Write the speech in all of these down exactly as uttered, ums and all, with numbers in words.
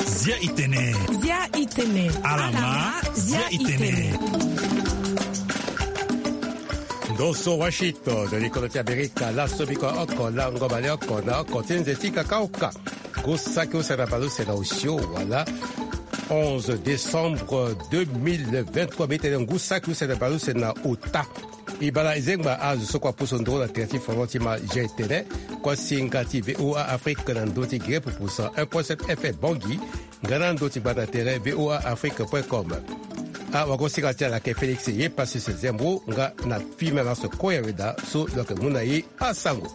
Zia itene. Zia itene. Alama. Zia itene. Ndo so Washington, likolo ti Amerika, laso biko oko lango baleoko na oko ti nze ti kakaoka. Ngu saki use na baleuse na osio wala onze décembre deux mille vingt-trois, mbi tene ngu saki use na baleuse na ota. E bala e zengba azo so kua pusu nduru na tere ti foro ti ma G T N, kuasinga ti V O A Afrique na ndö ti gere pupusa un point sept F M Bangui, nga na ndö ti gbata tere V O A Afrique point com. Awagosinga ti ala ayeke Félix Yepassus Zembro, nga na Fimenas Koyaweda so lo yeke mu na e asango.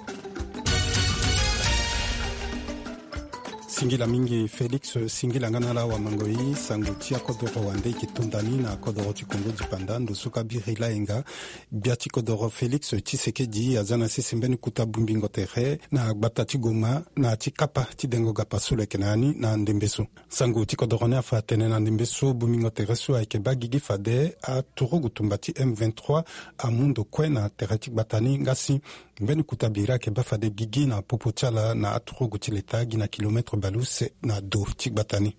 Singila mingi Félix, singila nga na ala wamangoi. Sango ti akodoro wande e yeke to ndani na akodoro ti Kongo dipanda, ndo so ka biri layenga. Gbia ti kodoro Félix Tshisekedi aza na sese mbeni kuta bongbingo tere na gbata ti Goma na ya ti kapa ti dengo gapa so lo yeke na ya ni na ndembe so. Sango ti kodoro ni afa atene na ndembe so bongbingo tere so ayeke baa gigi fade aturugu tumba ti M vingt-trois amu ndo kue na tere ti gbata ni, nga si mbeni kuta biri ayeke baa fade gigi na popo ti ala na aturugu ti leta gi na kilomètre baleuse na do ti gbata ni.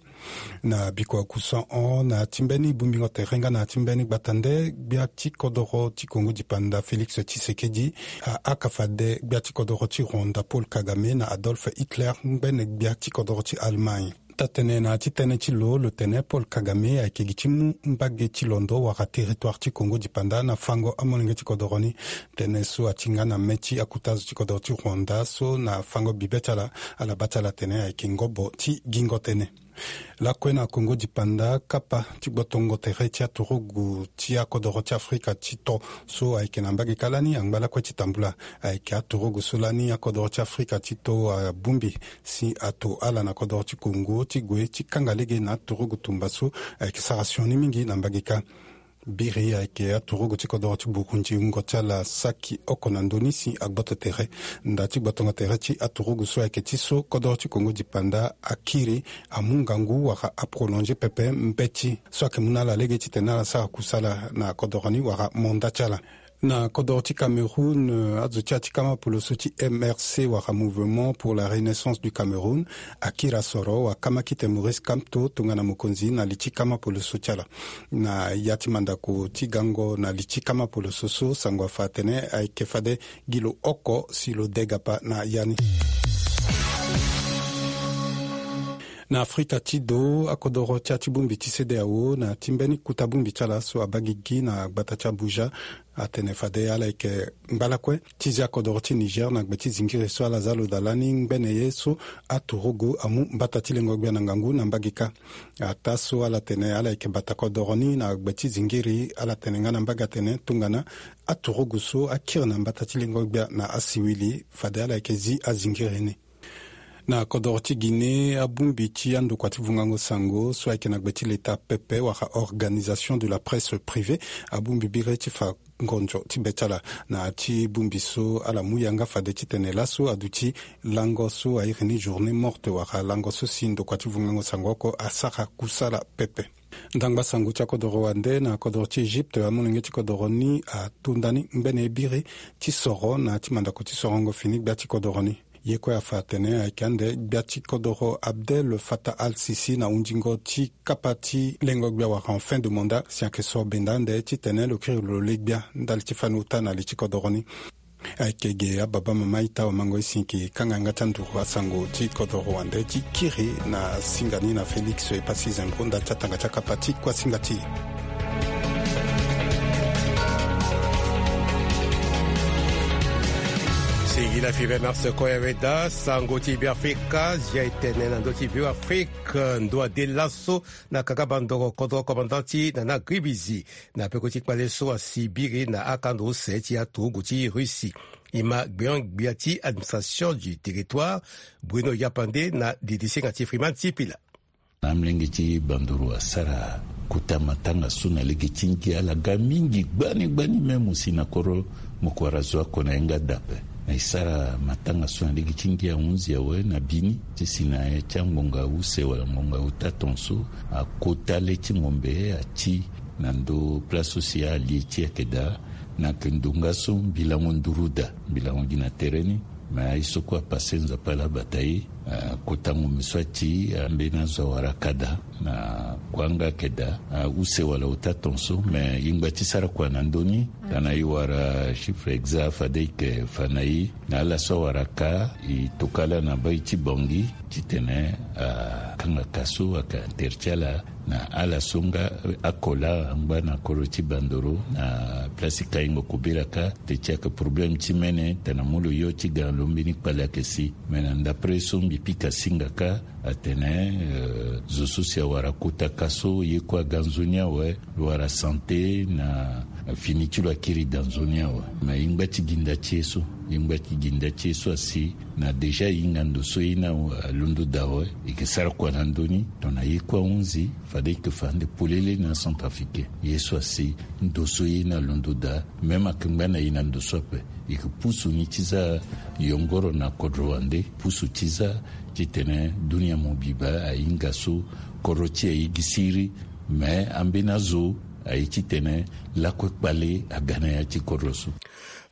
Na biko kusan hon na ya ti mbeni bongbingo tere nga na ya ti mbeni gbata nde, gbia ti kodoro ti Kongo dipanda Félix Tshisekedi ahaka fade gbia ti kodoro ti Rwanda Paul Kagame na Adolf Hitler, ngbene gbia ti kodoro ti Allemagne. Taa-tënë na ya ti tënë ti lo, lo tene Paul Kagame ayeke gi ti mu mbage ti londo wala territoire ti Kongo dipanda na fango amolenge ti kodoro ni. Tënë so ati nga na mê ti akota zo ti kodoro ti Rwanda so na fango bibe ti ala, ala baa ti ala atene ayeke ngobo ti gingo tënë. Lakue na Kongo dipanda, kapa ti gbotongo tere ti aturugu ti akodoro ti Afrika ti to so ayeke na mbage kâ lani angba lakue ti tambula. Ayeke aturugu so lani akodoro ti Afrika ti to abongbi si ato ala na kodoro ti Kongo ti gue ti kanga lege na aturugu tumba so ayeke sara sioni mingi na mbage kâ. Biri ayeke aturugu ti kodoro ti Burundi, wungo ti ala saki oko na ndö ni si agboto tere. Nda ti gbotongo tere ti aturugu so ayeke ti so kodoro ti Kongo dipanda akiri, amu ngangu wala aprolonge pepe mbeti so ayeke mu na ala lege titene ala sara kusala na kodoro ni wala mandat ti ala. Na kodoro ti Cameroun, azo ti ya ti kama poloso ti M R C wala Mouvement pour la Renaissance du Cameroun akiri asoro wakama kite Maurice Kamto tongana mokonzi na li ti kama poloso ti ala. Na ya ti mandako ti gango na li ti kama poloso so, sango afa atene ayeke fade gi lo oko si lo de gapa na ya ni. Na Afrika ti do, akodoro ti ya ti bongbi ti CEDEAO na ti mbeni kuta bongbi ti ala so abaa gigi na gbata ti Abuja, atene fade ala yeke ngba lakue ti zi akodoro ti Niger na gbe ti zingiri so ala za lo daa lani ngbene ye so aturugu amu mbata ti lengo gbia na ngangu na mbage kâ. Ataa so ala tene ala yeke bata kodoro ni na gbe ti zingiri, ala tene nga na mbage atene tongana aturugu so akiri na mbata ti lengo gbia na asiwili, fade ala yeke zi azingiri ni. Na kodoro ti Guinée, abongbi ti andokua ti vungango sango so ayeke na gbe ti leta pepe wala Organisation de la Presse Privée, abongbi biri ti fa ngonzo ti be ti ala. Na ya ti bongbi so, ala mu yanga fade titene laso aduti lango so airi ni journée morte wala lango so si ndokua ti vungango sango oko asara kusala pepe. Ndangba sango ti akodoro wande na kodoro ti Egypte, amolenge ti kodoro ni ato ndani ngbene ye biri ti soro na ya ti mandako ti sorongo fini gbia ti kodoro ni. Ye kue afa atene ayeke ande gbia ti kodoro Abdel Fattah al-Sisi na hundingo ti kapa ti lengo gbia wala en fin de mandat, si ayeke so benda ande titene lo kiri lo le gbia ndali ti fani ota na li ti kodoro ni. Ayeke ge ababa mama ita wamango e si e yeke kanga yanga ti anduru asango ti kodoro wande ti kiri na singa ni na Félix Epassi Zembro ndali ti atanga ti akapa ti kuasinga ti e. Singila Fibe Mars Koyaweda, sango ti Beafrika, zia e tene na ndö ti Beafrika, ndo ade laso na kaka bandoro kodro commandant ti Nana Gribizi, na peko ti kpale so asi biri na akando use ti aturugu ti Russie. E ma gbeon-gbia ti administration du territoire, Bruno Yapande na didisinga ti Freeman Sipila. Na amolenge ti banduru asara kota matanga so na lege ti ngia ala ga mingi gbani gbani même si na koro mo kue wara zo oko na yanga da ape. Na e sara matanga so na lege ti ngia ahunzi awe na bini ti si na ya ti angbonga use wala ngbonga ota tongaso akota le ti ngombe ati na ndo place so si alie ti ayeke daa. Na yeke ndo nga so mbi lango nduru daa, mbi lango gi na tere ni. Mais aye so kue apase Nzapa ala bata ye. Akota ngombe so ati ambeni azo awara ka daa na kuanga ayeke daa. Use wala ota ton so, mais e ngba ti sara kua na ndö ni. Tana e wara chiffre exact fade e yeke fa na e. Na ala so awara ka, e toka ala na bai ti Bangui titene akanga ka so ayeke na tere ti ala. Na ala so nga akola angba na kodro ti Bandoro na place ti Kayingo Kobela ka, te ti ayeke problème ti mene tana mu lo yo ti ga na lo mbeni kpale ayeke si. Mais na ndapre so mbi pika singa ka, atene zo so si awara kota ka so ye kue aga nzoni awe. Lo wara santé na fini ti lo akiri daa nzoni awe. Mais e ngba ti gi nda ti ye so, e ngba ti gi nda ti ye so asi. Na déjà e hinga ndo so ye ni alondo daa awe. E yeke sara kua na ndö ni tongana ye kue ahunzi, fade e yeke fa ande polele na acentrafricain. Ye so asi, ndo so ye ni alondo daa, même ayeke ngba na e na ndo so ape. E yeke pusu ni ti za yongoro na kodro wande, pusu ti za titene dunia mobimba ahinga so kodro ti e aye gi siriri. Mais ambeni azo aye titene lakue kpale aga na ya ti kodro so.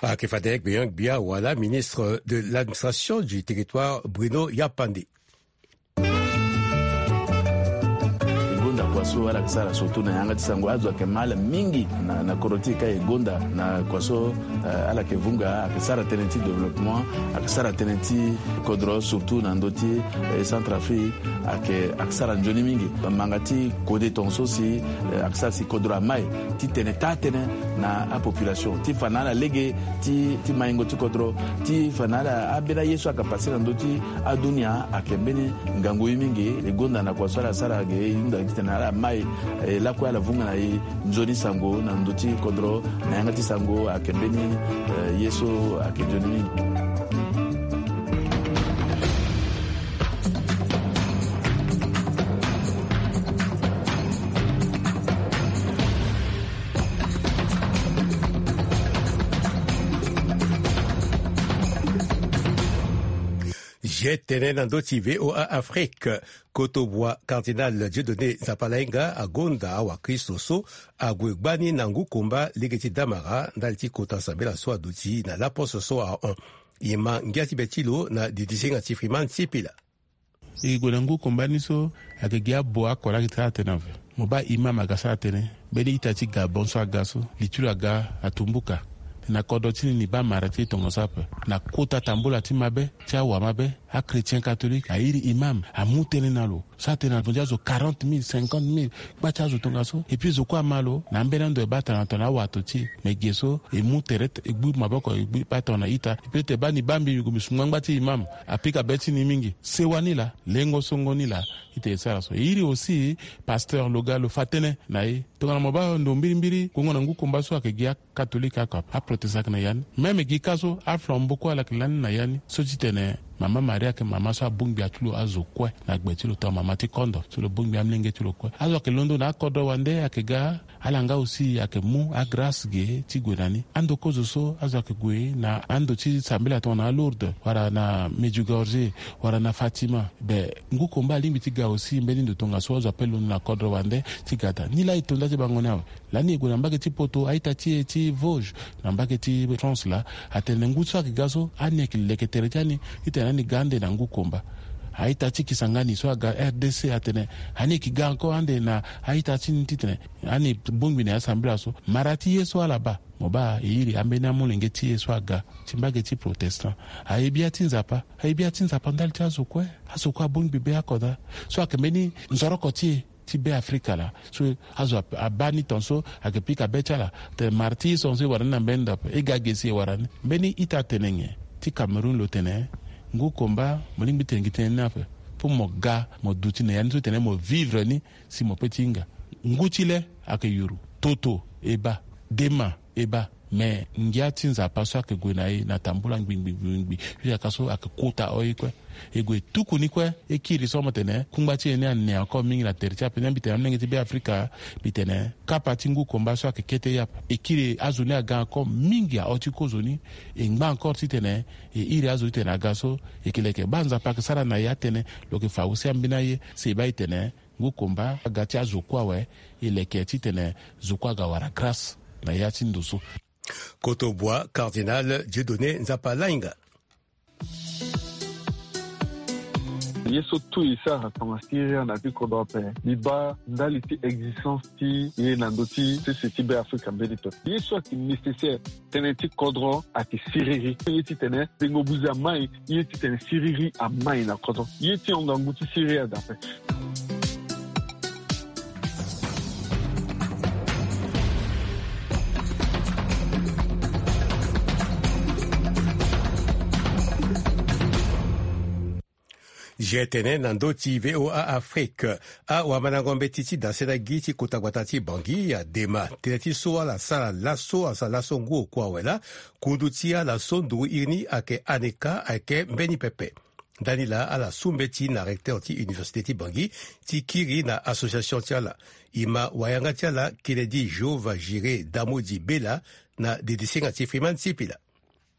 Ayeke fade gbia gbia wala ministre de l'administration du territoire Bruno Yapande. E gonda kua so ala yeke sara surtout na yanga ti sango, azo ayeke ma ala mingi na, na kodro ti e ka e gonda na kua so, eh, ala yeke vunga, ayeke sara tënë ti développement, ayeke sara tënë ti kodro surtout na ndö ti, eh, Centrafrique, ayeke, ayeke sara nzoni mingi. Manga ti kode tongaso si, eh, ayeke sara si kodro amai titene taa tënë na apopulation ti fa na ala lege ti, ti maingo ti kodro, ti fa na ala ambeni aye so ayeke pase na ndö ti adunia ayeke mbeni ngangu ye mingi. E gonda na kua so ala sara ge e hunda titene ala mai, eh, lakue ala vunga na e nzoni sango na ndö ti kodro na yanga ti sango ayeke mbeni, eh, ye so ayeke nzoni mingi. Ye tene na ndö ti V O A Afrique, kotobua Cardinal Dieudonné Nzapalainga agonda awakristo so ague gbani na ngu komba lege ti damara ndali ti kota sambela so aduti na laposo so ahon. E ma ngia ti be ti lo na didisenga ti Freeman Sipila. E gue na ngu komba ni so, ayeke gi abo oko laa ayeke sara tënë ape. Mo baa imam aga sara tënë. Mbeni ita ti Gabon so aga so, li ti lo aga atumbuka. Na kodro ti ni, ni baa mara ti e tongaso ape. Na kota tambula ti mabe ti awamabe, achrétien catholique airi imam, amu tënë na lo. So atene na tonga ti azo quarante mille, cinquante mille, kpa ti azo tongaso. Et puis zo kue ama lo na ambeni ando e baa tongana tongana awato ti e. Me ge so e mu tere, e gbu maboko, e gbu baa tongana ita. Et puis e te baa ni baa mbi, mbi gue mbi sungu angba ti imam. Apika be ti ni mingi. Sewa ni laa, lengo songo ni laa. Ita e sara so. E iri aussi pasteur lo ga lo fa tënë na e. Tongana mo baa ndo mbirimbiri, gongo na ngu komba so ayeke gi a catholique oko ape, aprotestant ayeke na ya ni. Même gi ka so, aflambeau kue ala yeke lani na ya ni. So ti tene mama Maria ayeke mama so abongbi atu lo azo kue na gbe ti lo, tongana mama ti kondo, so lo bongbi amolenge ti lo kue. Azo ayeke londo na akodro wande ayeke ga, ala nga aussi ayeke mu agrace ge ti gue na ni. Ando kozo so azo ayeke gue na ando ti sambela tongana Lourdes, wala na Medjugorje, wala na Fatima. Be, ngu komba alingbi ti ga aussi mbeni ndo tongaso azo ape londo na kodro wande ti ga daa. Nilaa e to nda ti bango ni awe. Lani e gue na mbage ti Poto, a-ita ti e ti Vosges, na mbage ti France laa, atene ngu so ayeke ga so, ani ayeke leke tere ti ani titene ani ga ande na ngu komba. A-ita ti Kisangani so aga R D C atene ani yeke ga encore ande na a-ita ti ni titene ani bongbi na ya sambela so. Mara ti ye so ala baa, mo baa e iri ambeni amolenge ti e so aga ti mbage ti protestant. Aye bia ti Nzapa, aye bia ti Nzapa ndali ti azo kue. Azo kue abongbi be oko daa. So ayeke mbeni nzoroko ti e ti Be Afrika laa. So azo ab-, abaa ni tongaso, ayeke pika be ti ala. Tene mara ti e so e wara ni na mbeni ndo ape, e ga ge si e wara ni. Mbeni ita atene nyen ti Cameroun lo tene, ngu komba, mo lingbi tene gi tënë ni ape. Pour mo ga, mo duti na ya ni so tene mo vivre ni, si mo pe ti hinga. Ngu ti le ayeke yuru, toto e baa, dema e baa. Me ngia ti Nzapa so ayeke gue na e na tambula ngbingbi ngbingbi. Jusqu'à so ayeke kota o ye kue. E gue e tuku ni kue, e kiri so mo tene kungba ti e ni ane encore mingi na tere ti ape. Ni mbi tene amolenge ti Be Afrika, mbi tene kapa ti ngu komba so ayeke kete ye ape. E kiri azo ni aga encore mingi aho ti kozo ni. E ngba encore titene e iri azo titene aga so e yeke leke. Baa Nzapa ayeke sara na e atënë, lo yeke fa aussi ambeni aye, si e baa e tene ngu komba aga ti azo kue awe, e leke titene zo kue aga wara grâce na ya ti ndo so. Kotobua Cardinal Dieudonné Nzapalainga. Ye so tout e sara tongana siriri na ya ti kodro ape, mbi baa ndali ti existence ti ye na ndö ti sese ti Be Afrika mbeni pepe. Ye so ayeke nécessaire, tënë ti kodro ayeke siriri. Ye titene tengo buze amai, ye titene siriri amai na kodro. Ye ti hon ngangu ti siriri adape. Zia tene na ndö ti V O A Afrique, awamandango mbeti ti dasena gi ti kota gbata ti Bangui adema tënë ti so ala sara laso, asara laso ngu oku awe laa, kundu ti ala so nduru iri ni ayeke ANECA ayeke mbeni pepe. Ndani laa ala su mbeti na recteur ti université ti Bangui ti kiri na association ti ala. E ma wayanga ti ala Kennedy Jehovah Jiré Damodi Bella na dedesenga ti Freeman Sipila.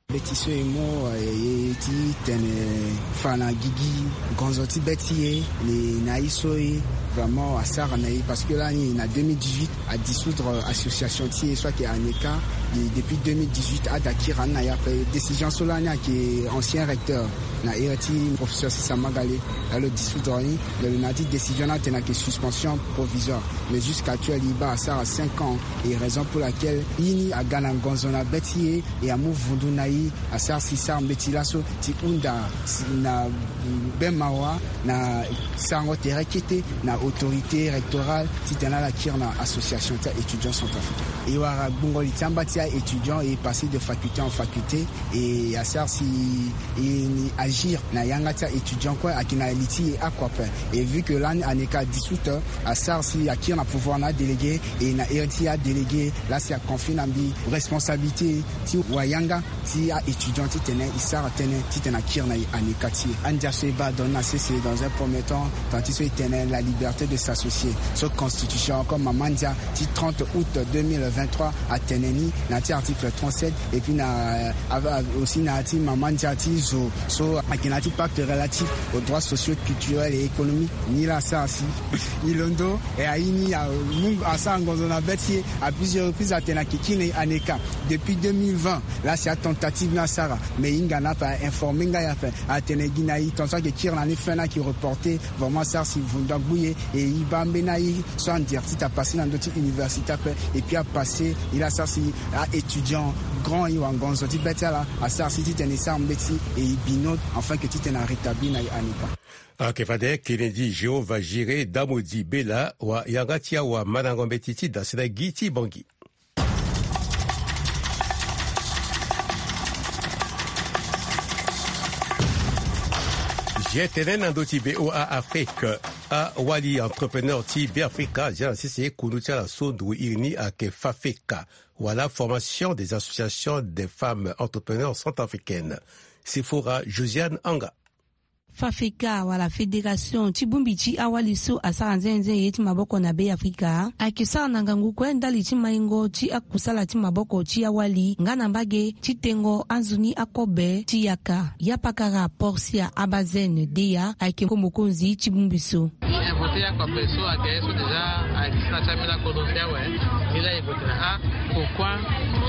Mbeti so e mu, eh, ye ti tene fa na gigi ngonzo ti be ti e, ni na ye so e vraiment asara na e, parce que lani na deux mille dix-huit adissoudre association ti e so ayeke ANECA. Et depuis deux mille dix-huit ada kiri na ni ape. Décision so lani ayeke ancien recteur na iri ti professeur Sisa Magale, la lo dissoudre ni. Mais lo na ya ti décision ni atene ayeke suspension provisoire. Mais jusqu'actuel e baa asara cinq ans. Et raison pour laquelle ye ni aga na ngonzo na be ti e, e amu vundu na e, asara si sara mbeti laso ti hunda si na be mawa na sarango tere kete na autorité rectorale titene ala kiri na association ti a-étudiant centrafricain. E wara gbungo li ti amba ti a-étudiant e passé de faculté en faculté. E asara si e ni agir na yanga ti a-étudiant kue ayeke na li ti e oko ape. Et vu que lani ANECA dissoute, asara si akiri na pouvoir na adélégué, e na iri ti adélégué laa si aconfie na mbi responsabilité ti wayanga ti a-étudiant titene e sara tënë titene akiri na e ANECA ti e. Andia so e baa donne na sese dans un premier temps, tant ti so e tene la liberté de s'associer. So constitution comme mama ndia ti trente août deux mille vingt-trois atene ni na ya ti article trente-sept, et puis na, euh, aussi na ya ti mama ndia ti zo so ayeke na ya ti pacte relatif aux droits socio-culturels et économiques. Ni laa asara si e londo, e aye ni amu, asara ngonzo na be ti e à plusieurs reprises atene ayeke kiri na e ANECA depuis deux mille vingt. Laa si atentative ni asara, mais e hinga na ape, a informer nga ape, atene gi na e tongaso ayeke kiri na ni fin ni ayeke reporter. Vraiment asara si vundu agbu e, e e baa mbeni aye so andia ti ta passé na ndö ti université ape. Et puis apassé, e laa asara si a-étudiant grand e wara ngonzo ti be ti ala, asara si titene e sara mbeti e e bino, afin que titene arétablir na e ANECA. Ayeke fade Kennedy Jehovah Jiré Damodi Bella, wayanga ti awamandango mbeti ti dasena gi ti Bangui. Zia tene na ndö ti V O A Afrique, awali entrepreneur ti Beafrika azia na sese kundu ti ala so nduru iri ni ayeke FAFECA, wala Formation des Associations des Femmes Entrepreneurs Centrafricaines. Sefora Josiane Anga. FAFECA wala fédération ti bongbi ti awali so asara nzenze ye ti maboko na Beafrika ayeke sara na ngangu kue ndali ti maingo ti akusala ti maboko ti awali nga na mbage ti tengo anzoni akobe ti yaka. Yapakara Portia Abazen Deya ayeke mokonzi ti bongbi so. Invoqué akobe so ayeke so déjà ayeke si na ti ambeni akodro ti awe. Ni laa e voté na a. Pourquoi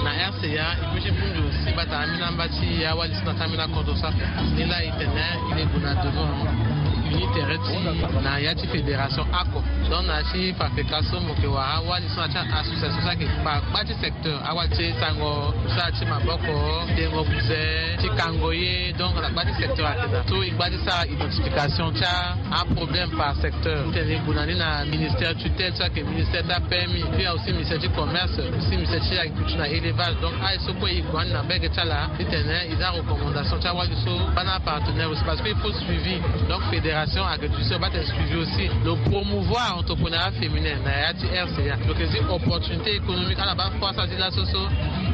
na R C A e peut ti bongbi aussi bata ambeni amba ti awali so na ti ambeni akodro so ape. Ni laa e tene e le gue na devant uni tere ti na ya ti fédération oko. Donc na ya ti FAFECA so mo yeke wara awali so na ti association so ayeke kpa kpa ti secteur, awali ti sango, sara ti maboko, tengo buze, ti kango ye. Donc na kpa ti secteur ayeke daa so e ngba ti sara identification ti aproblème par secteur. Titene e gue na ni na ministère tutelle so ayeke ministère ti aPMI, puis aussi ministère ti commerce, aussi ministère ti agriculture na élevage. Donc aye so kue e gue na ni na mbage ti ala titene e za recommandation ti awali so baa na apartenaire aussi, parce que il faut suivi. Donc fédération agriculture baa tene suivi aussi. Lo promouvoir entrepreneuriat féminin na ya ti R C A. Lo yeke zi opportunité économique, ala baa croissance ti laso so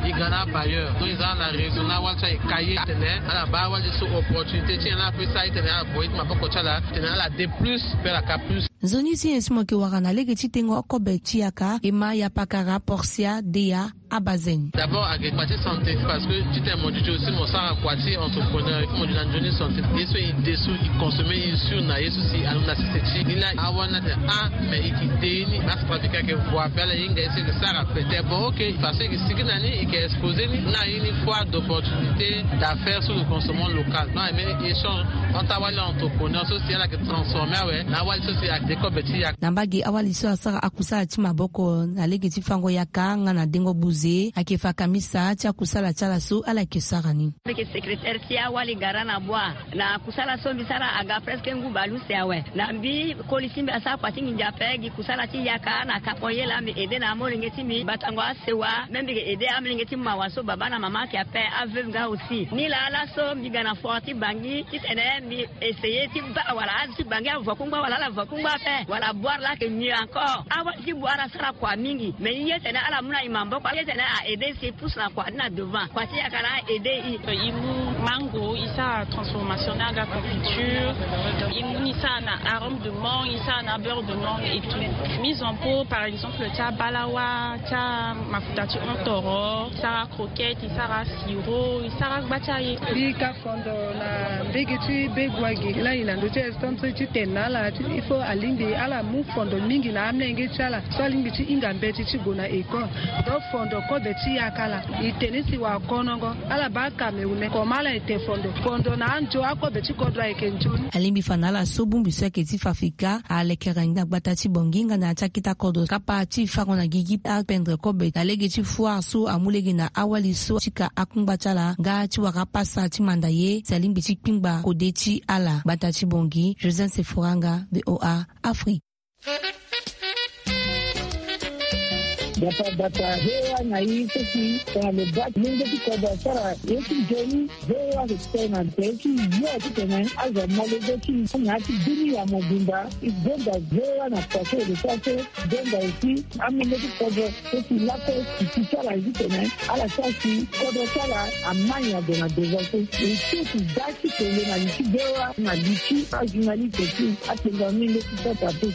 e ga na abailleur. Donc e za na réseau na awali so ayeke ka ye titene ala baa awali so opportunité ti nyen laa ape sara titene ala gue ti maboko ti ala titene ala de plus, puis ala ka plus. Nzoni si nyen si mo yeke wara na lege ti tengo akobe ti yaka? E ma Yapakara Portia Deya Abazen. D'abord ayeke kpa ti santé, parce que titene mo duti aussi mo sara kua ti entrepreneur, il faut mo duti na nzoni santé. Ye so e de so e consommer e sûr na ye so si alondo na sese ti e. Ni laa awali ni atene ah mais e yeke de ye ni, acentrafricain ayeke vo ape, ala hinga ye so e yeke sara ape. Te bon ok, façon e yeke sigi na ni e Exposé ni na ini foire d'opportunité d'affaires sur le consommant local, na mbeni échange entre awali entrepreneur so si ala yeke transformer awe na awali so si ayeke de kobe ti yaka. Na mbage awali so asara akusala ti maboko na lege ti fango yaka nga na dengo buze ayeke fa kamisa ti akusala ti ala so ala yeke sara ni. Mbi yeke secrétaire ti awali gara na bua. Na kusala so mbi sara aga presque ngu baleuse awe. Na mbi koli ti mbi asara kua ti nginza ape gi kusala ti yaka na kapo ye laa mbi aidé na amolenge ti mbi batango asewa. Même mbi yeke aidé amolenge ti mawa so baba na mama ayeke ape, aveuve nga aussi. Ni laa laso mbi ga na foire ti Bangui titene mbi essayer ti baa wala azo ti Bangui avo kungba wala ala avo kungba ape wala boire laa ayeke mieux encore. Awali ti boire asara kua mingi mais ye tene ala mu na e maboko ye tene a aidé si pousse na kua ni na devant kua ti yaka laa a aidé e. E mu mango e sara transformation ni aga confiture. E mu ni sara na arôme de mangue, e sara na beurre de mangue et tout. Mise en pot par exemple ti abalawa, ti amafuta ti ontoro, e sara croquette, e sara sirop, e sara gba ti aye. Mbi ka fondo na mbege ti Begoua ge laa e na ndö ti instant so ti tene na ala ti il faut alingbi ala mu fondo mingi na amolenge ti ala so alingbi ti hinga mbeti ti gue na école. Donc fondo kobe ti yaka laa e tene si wala konongo ala baa kamehune comment ala ete fondo fondo na anzo akobe ti kodro ayeke nzoni. Alingbi fa na ala so bongbi so ayeke ti fa fika alekere na gbata ti Bangui nga na ya ti akete akodro kapa ti fango na gigi apendre kobe na lege ti foire so amu lege na awali so ti ka akungba ti ala nga ti wara apasa ti manda ye si alingbi ti kpingba kode ti ala. Gbata ti Bangui, Joseph Seforanga, V O A Afrique. Bata bata V O A na e so si tongana lo baa ti lenge ti kodro asara ye ti nzoni. V O A ayeke tene na tere ti yo titene azo amolenge ti e na ya ti bini ya mobimba. E gonda V O A na kua so e lo sara so. Gonda aussi amolenge ti kodro so si lakue e si ti ala ye titene ala sara si kodro ti ala amai ado na devant so. E so si da ti tene na li ti V O A na li ti ajournaliste ti atenga mingi ti sota te.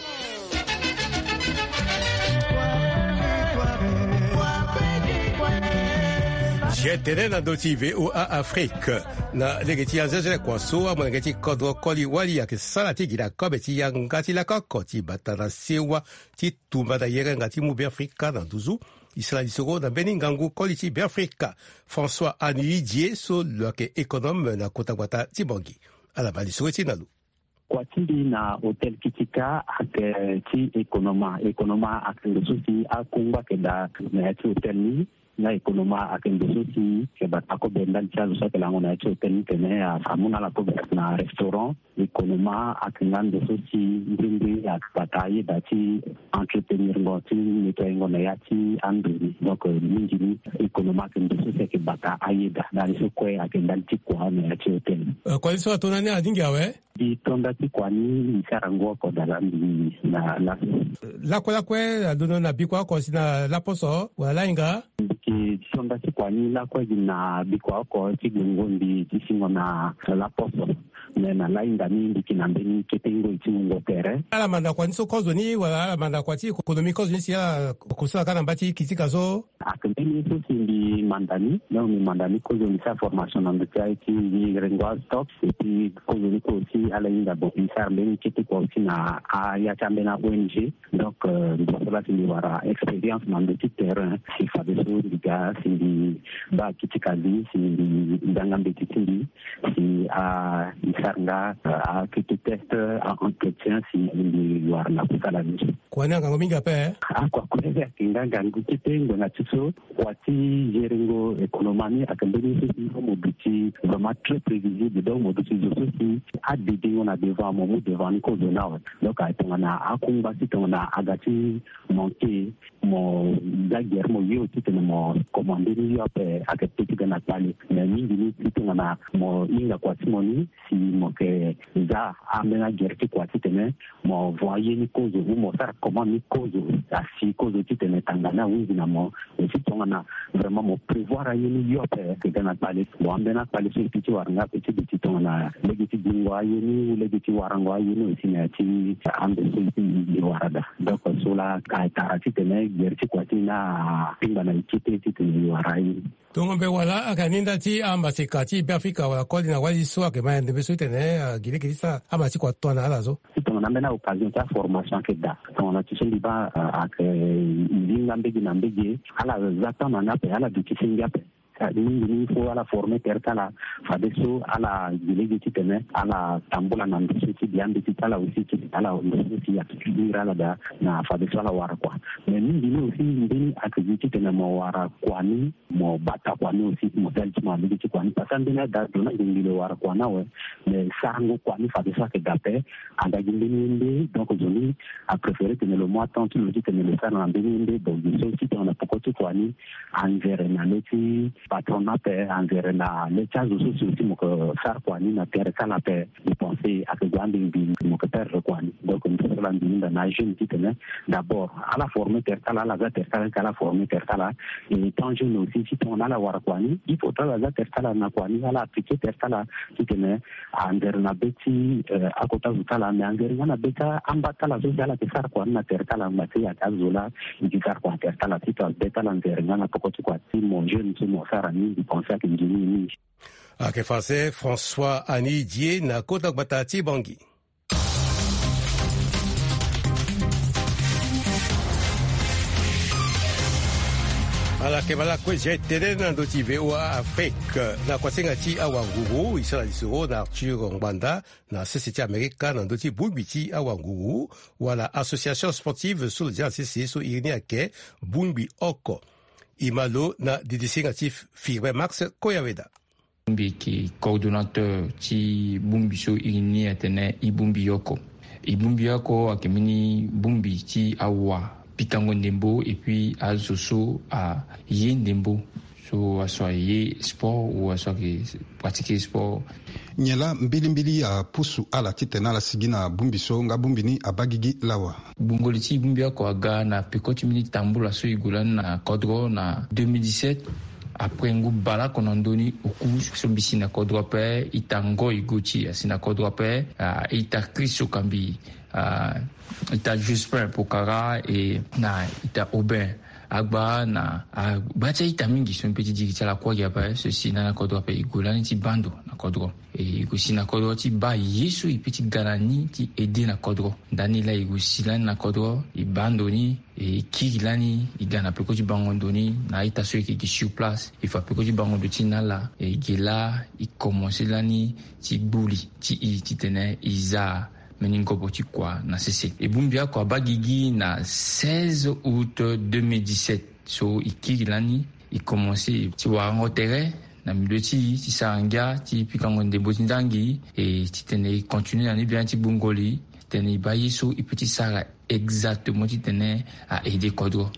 Ye tene na ndö ti V O A Afrique na lege ti azeazere kua so amolenge ti kodro koli wali ayeke sara ti gi na kobe ti yanga ti lako oko ti bata na sewa ti tumba na yerenga ti mu Beafrika na nduzu. E sara lisoro na mbeni ngangu koli ti Beafrika François Anuidie so lo yeke économe na kota gbata ti Bangui. Ala baa lisoro ti na lo. Kua ti mbi na hôtel Kitika ayeke ti économa. Économa ayeke ndo so si akungba ayeke daa na ya ti hôtel ni. Nga économa ayeke ndo so si ayeke bata kobe ndali ti azo so ayeke lango na ya ti hôtel ni tene amu na ala kobe na restaurant. Économa ayeke nga ndo so si mbrimbri ayeke bata ayeda ti entretenir ngo ti nettoyer ngo na ya ti ando ni. Donc mingi ni économa ayeke ndo so si ayeke bata ayeda. Ndali so kue ayeke ndali ti kua na ya ti hôtel ni. Eh, kua ni so ato na ni alingbi awe. Mbi to nda ti kua ni mbi sara ngu oko dala mbi na laso. Lakue lakue alondo na bikua oko si na laposo wala lahinga? Mbi yeke to nda ti kua ni lakue gi na bikua oko ti gue ngo mbi ti singo na laposo. Me na lahinga ni mbi yeke na mbeni kete ngoi ti wungo tere. Ala manda kua ni so kozo ni wala ala manda kua ti konomi kozo ni si ala kusala ka na mba ti Kitika so? Ayeke mbeni ye so si mbi manda ni. Donc mbi manda ni kozo mbi sara formation na ndö ti aye ti mbi rengo astock. Et puis kozo ni kue aussi ala hinga bon mbi sara mbeni kete kua aussi na aya ti ambeni a O N G. Donc mbi so la si mbi wara expérience na ndö ti terrain si fadeso mbi ga si mbi baa Kitika li si mbi zanga mbeti ti mbi si a mbi sara nga akete test a entretien si mbi wara na kusala ni. Kua ni angangu mingi ape. Akua kue ayeke nga ngangu kete ngbanga ti so. Kua ti gérer ngo économa ni ayeke mbeni so si mo duti vraiment très prévisible. Donc mo duti zo so si adedingo na devant mo mu devant ni kozo ni awe. Donc aye tongana akungba ti tongana aga ti manquer mo za gere mo yo titene mo commande ni yo ape ayeke pe ti ga na kpale. Mais mingi ni ti tongana mo hinga kua ti mo ni si mo yeke za ambeni agere ti kua titene mo vo aye ni kozo ou mo sara comment ni kozo asi kozo titene tanga ni ahunzi na mo. Aussi tongana vraiment mo prévoir aye ni yo ape ayeke ga na kpale. Bon ambeni akpale so e pi ti wara nga ape ti duti tongana lege ti gingo aye ni ou lege ti warango aye ni aussi na ya ti ande so e pi e wara daa. Donc so la ayeke tara titene gere ti kua ti ni akpingba na e kete titene e wara aye ni. Tongo mbe wala ayeke ni nda ti amaseka ti Beafrika wala koli na wali so ayeke ma ya ndembe so titene agi lege ti sara ama ti kua tongana ala so. Tongana ambeni aoccasion ti aformation ayeke daa. Tongana ti so mbi baa ayeke linga mbege na mbege, ala za temps na ni ape, ala duti ti ngia ape. Mingi ni il faut ala former tere ti ala fadeso ala gi lege titene ala tambula na ndo so ti biambeti ti ala aussi ti ala ndo so si ayeke iri ala daa na fadeso ala wara kua. Mais mingi ni aussi mbeni ayeke gi titene mo wara kua ni, mo bata kua ni aussi, mo sali ti mo na lege ti kua ni parce que ambeni ada ado ni ayeke ngili wara kua ni awe. Mais sarango kua ni fadeso ayeke daa ape. Anga gi mbeni ye nde, donc zo ni apréféré tene lo mu atemp ti lo titene lo sara na mbeni ye nde. Donc gi so si tongana peko ti kua ni anzere na le ti patron ni ape, anzere na le ti azo so si aussi mo yeke sara kua ni na tere ti ala ape. Mbi pense ayeke gue ande mbi mo yeke perdre kua ni. Donc mbi sara la mbi hinda na ajeune titene d'abord ala former tere ti ala, ala za tere ti ala, ala former tere ti ala. Et tant jeune aussi si tongana ala wara kua ni, il faut ti ala za tere ti ala na kua ni, ala appliquer tere ti ala titene anzere na be ti akota zo ti ala. Mais anzere nga na be ti amba ti ala so si ala yeke sara kua ni na tere ti ala ngba ti ayeke azo laa e ke sara kua na tere ti ala. Titene be ti ala anzere nga na peko ti kua ti mo jeune so mo sara ni, mbi pense ayeke nzoni mingi. Ayeke fa se François Annie Dié na kota gbata ti Bangui. Ala yeke bala kue zia e tënë na ndö ti V O A Afrique. Na kuasinga ti awanguru e sara lisoro na Arthur Ngbanda na sese ti Amerika na ndö ti bongbi ti awanguru wala association sportive so lo zia na sese so iri ni ayeke bongbi oko. E ma lo na didisinga ti Firmin Max Koyaweda. Mbi yeke coordonnateur ti bongbi so iri ni atene e bongbi oko. E bongbi oko ayeke mbeni bongbi ti awa pikango ndembo et puis azo so aye ndembo, so aso aye sport ou aso ayeke pratiquer sport. Nyen laa mbilimbili apusu ala titene ala sigi na bongbi so nga bongbi ni abaa gigi lawa? Gbongoli ti e bongbi oko aga na peko ti mbeni tambula so e gue lani na kodro na deux mille dix-sept. Après ngu baleoko na ndö ni oku so mbi si na kodro ape, ita Ngoy Gauthier asi na kodro ape, ah, ita Chris Sokambi, ah, ita Jospin Pokara e na ita Aubin Agba na agba ti a-ita mingi so mbi pe ti diri ti ala kuâ gi ape so e si na ni na kodro ape. E gue lani ti baa ndo na kodro. E gue si na kodro ti baa ye so e pe ti ga na ni ti aidé na kodro. Ndani laa e gue si lani na kodro, e baa ndo ni, e kiri lani, e ga na peko ti bango ndo ni na a-ita so e yeke gi sur place. E fa peko ti bango ndo ti ni na ala, e gi laa e komanse lani ti gbuli ti e titene e za mbeni ngobo ti kua na sese. E bongbi oko abaa gigi na seize août deux mille dix-sept. So e kiri lani, e komanse ti warango tere na milieu ti e ti sara ngia ti pikango ndembo ti ndangi, e titene e continue na ni biani ti gbongoli titene e baa ye so e pe ti sara exactement titene a aidé kodro.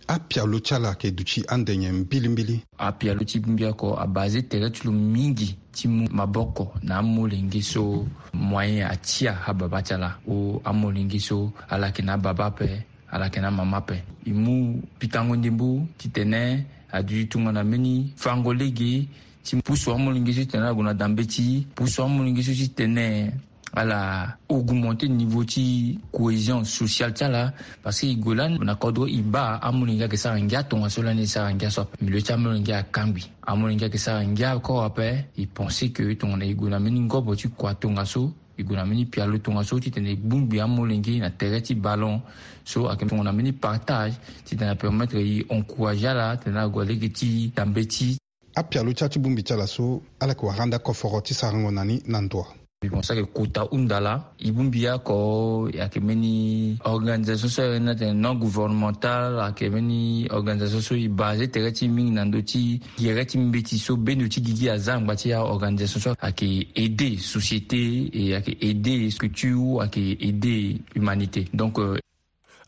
Apialo ti ala ayeke duti ande nyen mbilimbili? Apialo ti bongbi oko abase tere ti lo mingi ti mu maboko na amolenge so moyen atia ababa ti ala, ou amolenge so ala yeke na ababa ape, ala yeke na amama ape. E mu pikango ndembo titene aduti tongana mbeni fango lege ti pusu amolenge so titene ala gue na dambe ti e, pusu amolenge so titene ala augmenter niveau ti cohésion sociale ti ala. Parce que e gue lani na kodro e baa amolenge ayeke sara ngia tongaso lani e sara ngia so ape. Milieu ti amolenge akangbi. Amolenge ayeke sara ngia encore ape. E pense que tongana e gue na mbeni ngobo ti kua tongaso, e gue na mbeni pialo tongaso titene e bongbi amolenge na tere ti ballon so ayeke tongana mbeni partage titene apermettre e encourager ala titene ala gue lege ti dambe ti Apialo ti a ti bongbi ti ala so ala yeke wara ande akoforo ti sarango na ni na ndo wa? Mbi pense ayeke kota hunda laa. E bongbi oko ayeke mbeni organisation so ayeke na tene non gouvernemental, ayeke mbeni organisation so e base tere ti e mingi na ndö ti gere ti mbeti so bendo ti gigi aza angba ti aorganisation so ayeke aidé société, e ayeke aidé structure, ayeke aidé humanité. Donc, euh,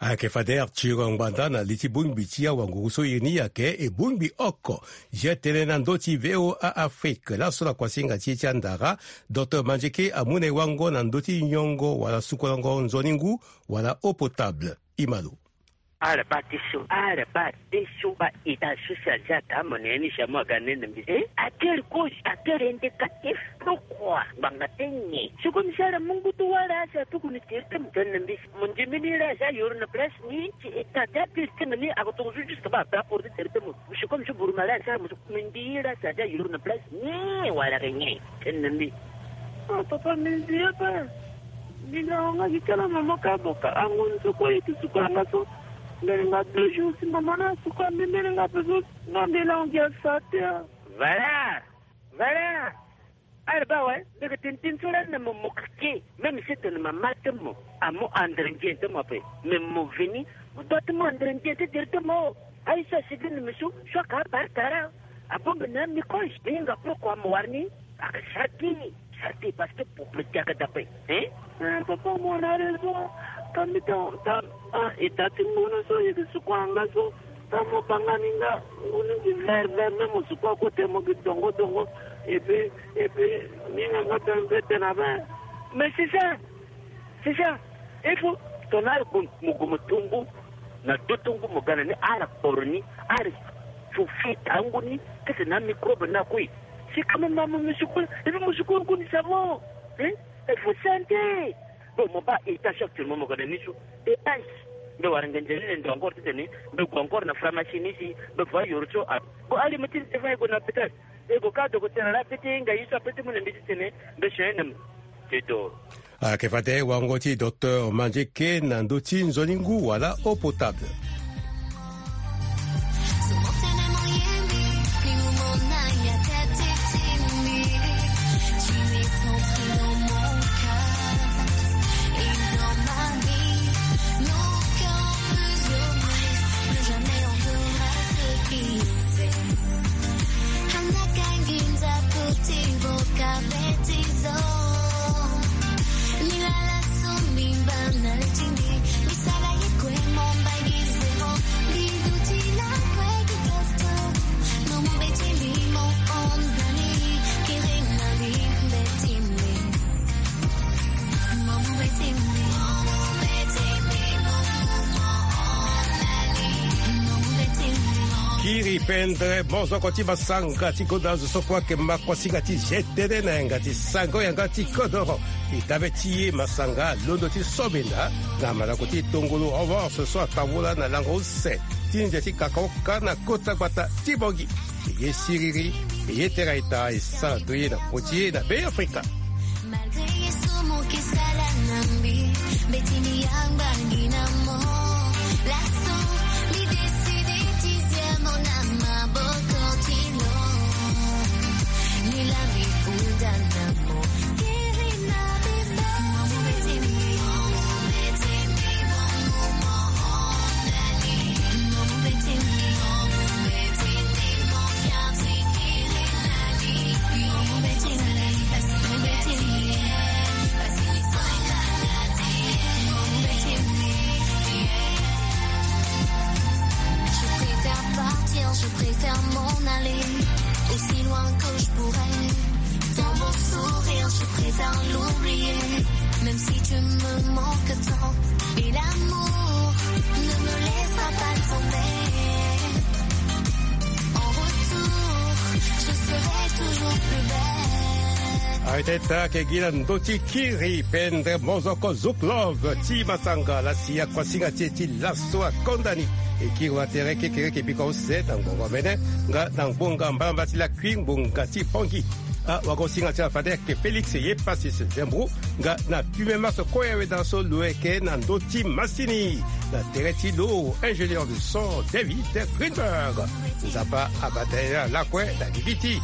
Ayeke fade Arthur Ngbanda na li ti bongbi ti awanguru so iri ni ayeke e bongbi oko. Zia tënë na ndö ti V O A Afrique laso na kuasinga ti e ti andara, Docteur Mandieke amu na e wango na ndö ti nyongo wala sukolongo nzoni ngu wala eau potable. E ma lo. Ala baa ti so, ala baa ti so, baa ita so si aza ata mo na ye ni si amu aga nene mbi. Eh, a kiri kozi, a kiri indicatif. Pourquoi? Ngbanga ti nyen? Si comme si ala mu ngu ti wâ laa si atuku ni tere ti mo tene na mbi. Mo nzembe ni laa si ayoro na place ni ti ita ti apiri ti mo ni ako tongaso juste ba baa porte tere ti mo. Si comme si buruma laa si ala mo so mo ndi laa si aza ayoro na place ni wala ke nyen? Tene na mbi. Oh, papa, mbi nzi ye pe. Mbi na wanga gi kala mama ka boka ango ni so kue ye ti suka nga so. Mbele nga deux jours si mama na suka mbembele nga pe so. Nga mbele ango gi asa te. Valeur. Valeur. Ala baa awe, mbi yeke tene tënë so lani na mo mo keke. Même si tene mama ti mo amu andre ndien ti mo ape, mais mo veni, mo doit ti mu andre ndien ti diri ti mo. Aye so asi gi ni mi so, so aka abare tara. Abongbi na microbe, mbi hinga pourquoi mo wara ni. Aka sara ti ni, sara ti parce que pour mo diaka dape. Hein? Eh, papa, mo na raison. Ka mbi ta, ta, ah, e ta ti ngu ni so, e yeke suku anga so. Tango mo banga ni nga, ngu ni gi vert vert, même mo suku akote mo gi dongo dongo. Et puis, et puis, ni nga nga tene mpe tene ape. Mais c'est ça, c'est ça. Il faut tongana ari gue mo gue mo tongo na do tongo mo ga na ni, ari akporo ni, ari fu fi tango ni kete na microbe na kue. C'est quand même ma mo mo suku, et puis mo suku ngu ni savon. Hein? Il faut santé. Bon, mo baa e ta so actuellement mo ga na ni so. E ice. Mbe wara ngenze ni na ndo encore titene mbe gue encore na pharmacie ni si mbe fa yoro so a. Bon, ali mo ti ni te fa e gue na hôpital. E gue ka docteur ala pe ti hinga ye so ape ti mu na mbi titene mbe soin na mo. Te do. Ayeke fade wango ti docteur Mandieke na ndö ti nzoni ngu wala eau potable. Kiri pendre mozoko ti masanga ti goda zo so kue ayeke makuasinga ti zia tënë na yanga ti sango yanga ti kodoro. E dabe ti e masanga londo ti sobenda na malako ti tongolo avance so atambula na lango use ti nze ti kakaoka na kota gbata ti Bangui. E ye siriri, e ye tera eta e sara to ye na poti ye na Beafrika. Malgré ye so mo ke sala na mbi, mbeti mbi yamba ngi na mo. Laso mbi décide ti zia mo na maboko ti lo. Ni la mbi kuda na mo. Kiri na mbi mo. Je préfère partir, je préfère m'en aller, aussi loin que je pourrais. Dans mon sourire, je préfère l'oublier, même si tu me manques tant. Et l'amour ne me laissera pas tomber. En retour, je serai toujours plus belle. Aye tene ake gi na ndö ti kiri pendre mozoko Zouk Love ti masanga la si akuasinga ti e ti laso akonda ni. E kiri wa tere kekereke bika use na ngbonga mene nga na ngbonga mbalambala ti lakui ngbonga ti Bangui. Ah, wagosinga ti la fade ayeke Félix ye Passis Zembrou nga na pime maso kue awe da so lo yeke na ndö ti masini na tere ti lo ingénieur de son David Greenberg. Nzapa abata ye na lakue na gigi ti.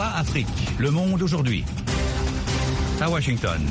Afrique, le monde aujourd'hui. À Washington.